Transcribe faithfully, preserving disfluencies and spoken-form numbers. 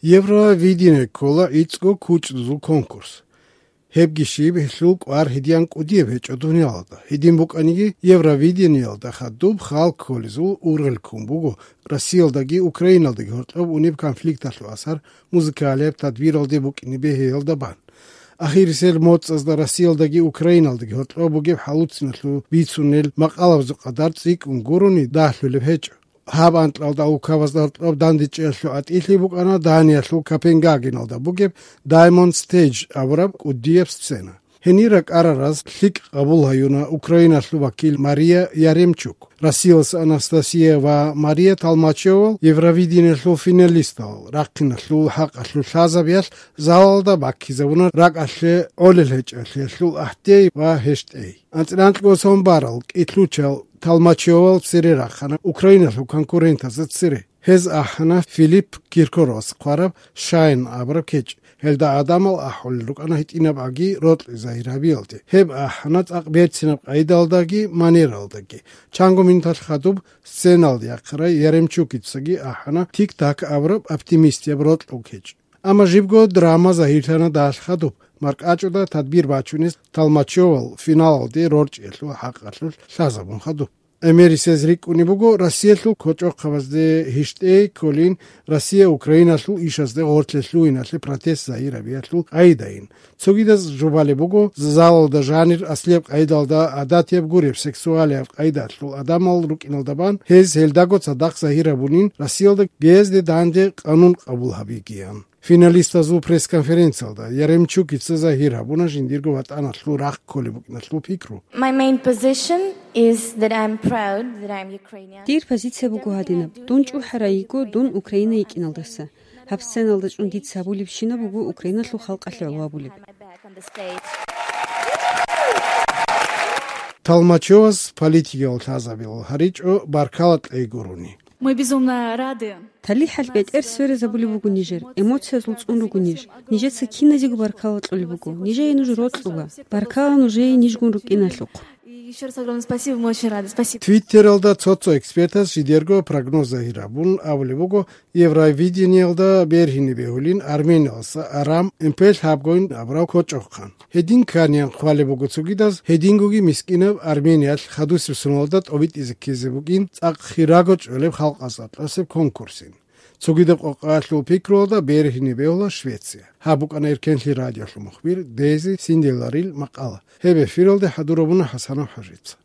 Евровидение ккола гӀицӀго кучӀдузул конкурс. Гьебги щиб, гьелъул кӀвар гьедиян кӀудияб гьечӀо дуниялалда. Гьедин букӀаниги, Евровидениялда хадуб халкъ кколезул ургъел ккун буго Россиялдаги Украиналдаги гьоркьоб унеб конфликталъул асар музыкалияб тадбиралде букӀине бегьиялда бан. Ахирисел моцӀазда Россиялдаги Украиналдаги гьоркьоб бугеб хӀалуцинлъун бицунел макъалабазул къадар цӀикӀкӀун гурони дагьлъулеб гьечӀо. Гьаб анкьалда улкабазда гьоркьоб дандечӀеялъул атӀилъи букӀана Даниялъул Копенгагеналда бугеб Diamond Stage абураб кӀудияб сцена. Гьенир ракӀарараз лъикӀ къабул гьаюна Украиналъул вакил Мария Яремчук, Россиялъа Анастасия ва Мария Толмачевал, Евровидениялъул финалистал, рахъиналъул хӀакъалъулъ лъазабиялъ залалда баккизабуна ракӀалъе гӀолел гьечӀолъиялъул ахӀдей ва гьещтӀей. АнцӀила анкьго сон барал кӀитлъучал Толмачевал цере рахана Украиналъул конкурентазда цере. Гьез ахӀана Филипп Киркоровас хъвараб «Шайн» абураб кечӀ. Гьелда гӀадамал ахӀулел рукӀана гьитӀинаб аги рокьи загьир гьабиялде. Гьеб ахӀана цӀакъ берцинаб къайдалдаги манералдаги. Чанго минуталъ хадуб сценалде яхъарай Яремчукицаги ахӀана «Тик-так» абураб оптимистияб рокьул кечӀ. Амма жибго драма загьирлъана далъ хадуб, маркӀачӀуда тадбир бачунес Толмачевал финалалде рорчӀиялъул хӀакъалъулъ лъазабун хадуб. ГӀемерисез рикӀкӀунеб буго Россиялъул кочӀохъабазде гьищтӀей кколин, Россия Украиналъул ишазде гъорлъе лъугьиналъе протест загьир гьабиялъул къайдайин. Цогидаз жубалеб буго, залалда жанир аслияб къайдалда гӀадатияб гуреб сексуалияб къайдалъул гӀадамал рукӀиналда бан, гьез гьелдаго цадахъ загьир гьабунин, Россиялда гьезде данде къанун къабул гьабигиян. Финалистазул пресс-конференциялда Яремчукица загьир гьабуна жиндирго ватӀаналъул рахъ кколеб букӀиналъул пикру. My main position is that I'm proud that I'm Ukrainian. Дир позиция буго гьадинаб: дун чӀухӀарай йиго дун Украина йикӀиналдаса. Гьаб сценалда чӀун дица гьабулебщинаб буго Украиналъул халкъалъе гӀоло гьабулеб. Толмачевас политикиял лъазабилал гьаричӀо баркала кьей гурони. Мы безумно рады. ТалихӀалъ бетӀер сверизабулеб буго нижер, эмоциязул цӀун руго ниж. Нижеца киназего баркала кьолеб буго. Нижее нуж рокьула. Баркала нужее нижгун рукӀиналъухъ. И ещё раз огромное спасибо, мы очень рады. Спасибо. Твиттералда цо-цо экспертас жидерго прогноз загьир гьабун абулеб буго, Евровидениялда бергьине бегьулин Армениялдаса Арам Эмпель гьабгойн абурав кочӀохъан. Гьедин кканиян хъвалеб буго цогидаз, гьедингоги мискӀинаб Армениялъ хадусеб соналда тӀобитӀизе ккезе букӀин цӀакъ хирого чӀолеб халкъазда кьосеб конкурсин. Цогидаб къокъаялъул пикруялда бергьине бегьула Швеция. Гьаб букӀана Эркенлъи радиолъул мухбир Дези Синделарил макъала. Гьеб эфиралде хӀадурабуна ХӀасанов ХӀажица.